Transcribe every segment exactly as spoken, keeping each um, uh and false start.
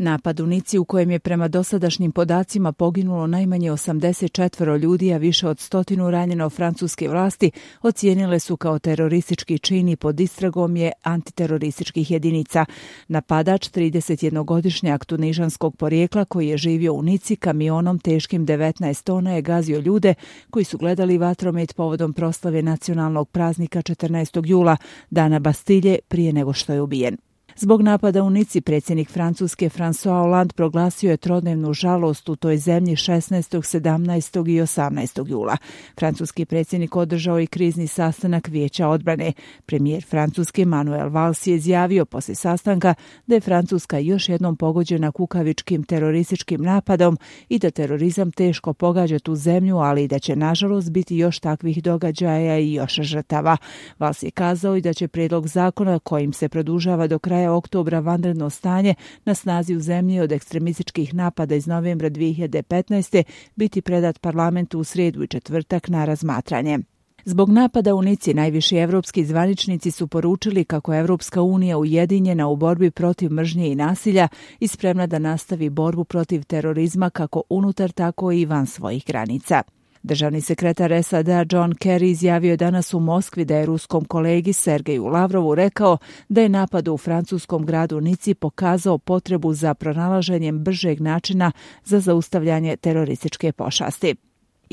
Napad u Nici, u kojem je prema dosadašnjim podacima poginulo najmanje osamdeset četiri ljudi, a više od stotinu ranjeno, francuske vlasti ocijenile su kao teroristički čin i pod istragom je antiterorističkih jedinica. Napadač, tridesetjednogodišnjak tunižanskog porijekla koji je živio u Nici, kamionom teškim devetnaest tona je gazio ljude koji su gledali vatromet povodom proslave nacionalnog praznika četrnaestog jula, dana Bastilje, prije nego što je ubijen. Zbog napada u Nici predsjednik Francuske François Hollande proglasio je trodnevnu žalost u toj zemlji šesnaestog, sedamnaestog i osamnaestog jula. Francuski predsjednik održao i krizni sastanak Vijeća odbrane. Premijer Francuske Manuel Valls je izjavio poslije sastanka da je Francuska još jednom pogođena kukavičkim terorističkim napadom i da terorizam teško pogađa tu zemlju, ali i da će nažalost biti još takvih događaja i još žrtava. Valls je kazao i da će prijedlog zakona kojim se produžava do kraja oktobra vanredno stanje na snazi u zemlji od ekstremističkih napada iz novembra dvije hiljade petnaeste biti predat parlamentu u srijedu i četvrtak na razmatranje. Zbog napada u Nici najviši evropski zvaničnici su poručili kako je Evropska unija ujedinjena u borbi protiv mržnje i nasilja i spremna da nastavi borbu protiv terorizma kako unutar tako i van svojih granica. Državni sekretar S A D-a John Kerry izjavio je danas u Moskvi da je ruskom kolegi Sergeju Lavrovu rekao da je napad u francuskom gradu Nici pokazao potrebu za pronalaženjem bržeg načina za zaustavljanje terorističke pošasti.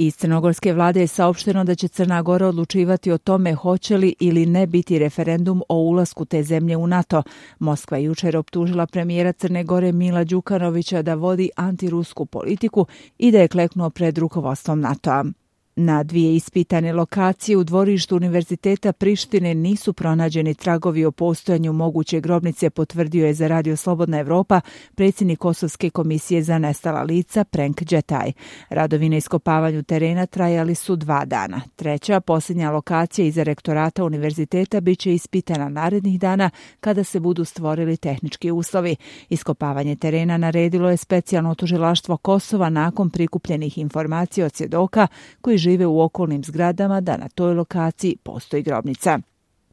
Iz crnogorske vlade je saopšteno da će Crna Gora odlučivati o tome hoće li ili ne biti referendum o ulasku te zemlje u NATO. Moskva je jučer optužila premijera Crne Gore Mila Đukanovića da vodi antirusku politiku i da je kleknuo pred rukovodstvom NATO-a. Na dvije ispitane lokacije u dvorištu Univerziteta Prištine nisu pronađeni tragovi o postojanju moguće grobnice, potvrdio je za Radio Slobodna Evropa predsjednik Kosovske komisije za nestala lica Prenk Đetaj. Radovi na iskopavanju terena trajali su dva dana. Treća, posljednja lokacija iza rektorata univerziteta bit će ispitana narednih dana kada se budu stvorili tehnički uslovi. Iskopavanje terena naredilo je specijalno tužilaštvo Kosova nakon prikupljenih informacija od svjedoka koji žive u okolnim zgradama da na toj lokaciji postoji grobnica.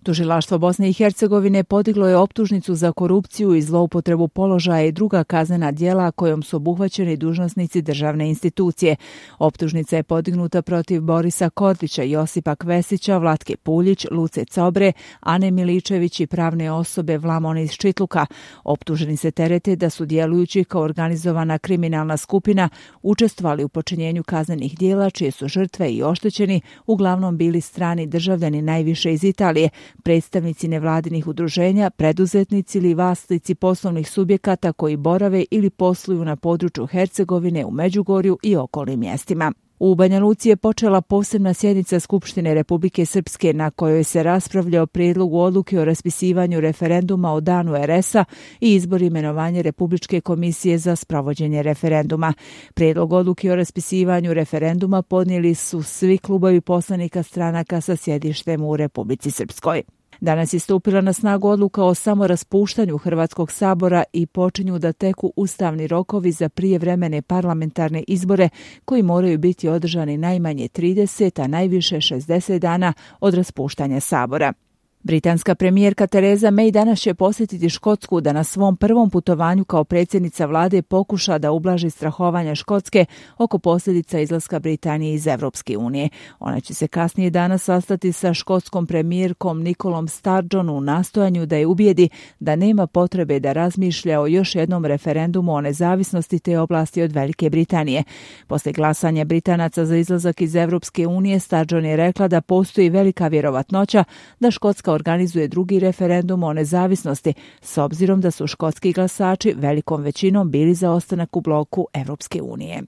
Tužilaštvo Bosne i Hercegovine podiglo je optužnicu za korupciju i zloupotrebu položaja i druga kaznena djela kojom su obuhvaćeni dužnosnici državne institucije. Optužnica je podignuta protiv Borisa Kordića, Josipa Kvesića, Vlatke Puljić, Luce Cobre, Ane Miličević i pravne osobe Vlamone iz Čitluka. Optuženi se terete da su djelujući kao organizovana kriminalna skupina učestvovali u počinjenju kaznenih djela čije su žrtve i oštećeni uglavnom bili strani državljani, najviše iz Italije, predstavnici nevladinih udruženja, preduzetnici ili vlasnici poslovnih subjekata koji borave ili posluju na području Hercegovine, u Međugorju i okolnim mjestima. U Banja Luci je počela posebna sjednica Skupštine Republike Srpske na kojoj se raspravlja o prijedlogu odluke o raspisivanju referenduma o danu er es a i izbor imenovanja Republičke komisije za sprovođenje referenduma. Prijedlog odluke o raspisivanju referenduma podnijeli su svi klubovi poslanika stranaka sa sjedištem u Republici Srpskoj. Danas je stupila na snagu odluka o samoraspuštanju Hrvatskog sabora i počinju da teku ustavni rokovi za prijevremene parlamentarne izbore koji moraju biti održani najmanje trideset, a najviše šezdeset dana od raspuštanja sabora. Britanska premijerka Tereza May danas će posjetiti Škotsku da na svom prvom putovanju kao predsjednica vlade pokuša da ublaži strahovanja Škotske oko posljedica izlaska Britanije iz Evropske unije. Ona će se kasnije danas sastati sa škotskom premijerkom Nicolom Sturgeon u nastojanju da je ubijedi da nema potrebe da razmišlja o još jednom referendumu o nezavisnosti te oblasti od Velike Britanije. Poslije glasanja Britanaca za izlazak iz Evropske unije, Sturgeon je rekla da postoji velika vjerovatnoća da Škotska organizuje drugi referendum o nezavisnosti, s obzirom da su škotski glasači velikom većinom bili za ostanak u bloku Evropske unije.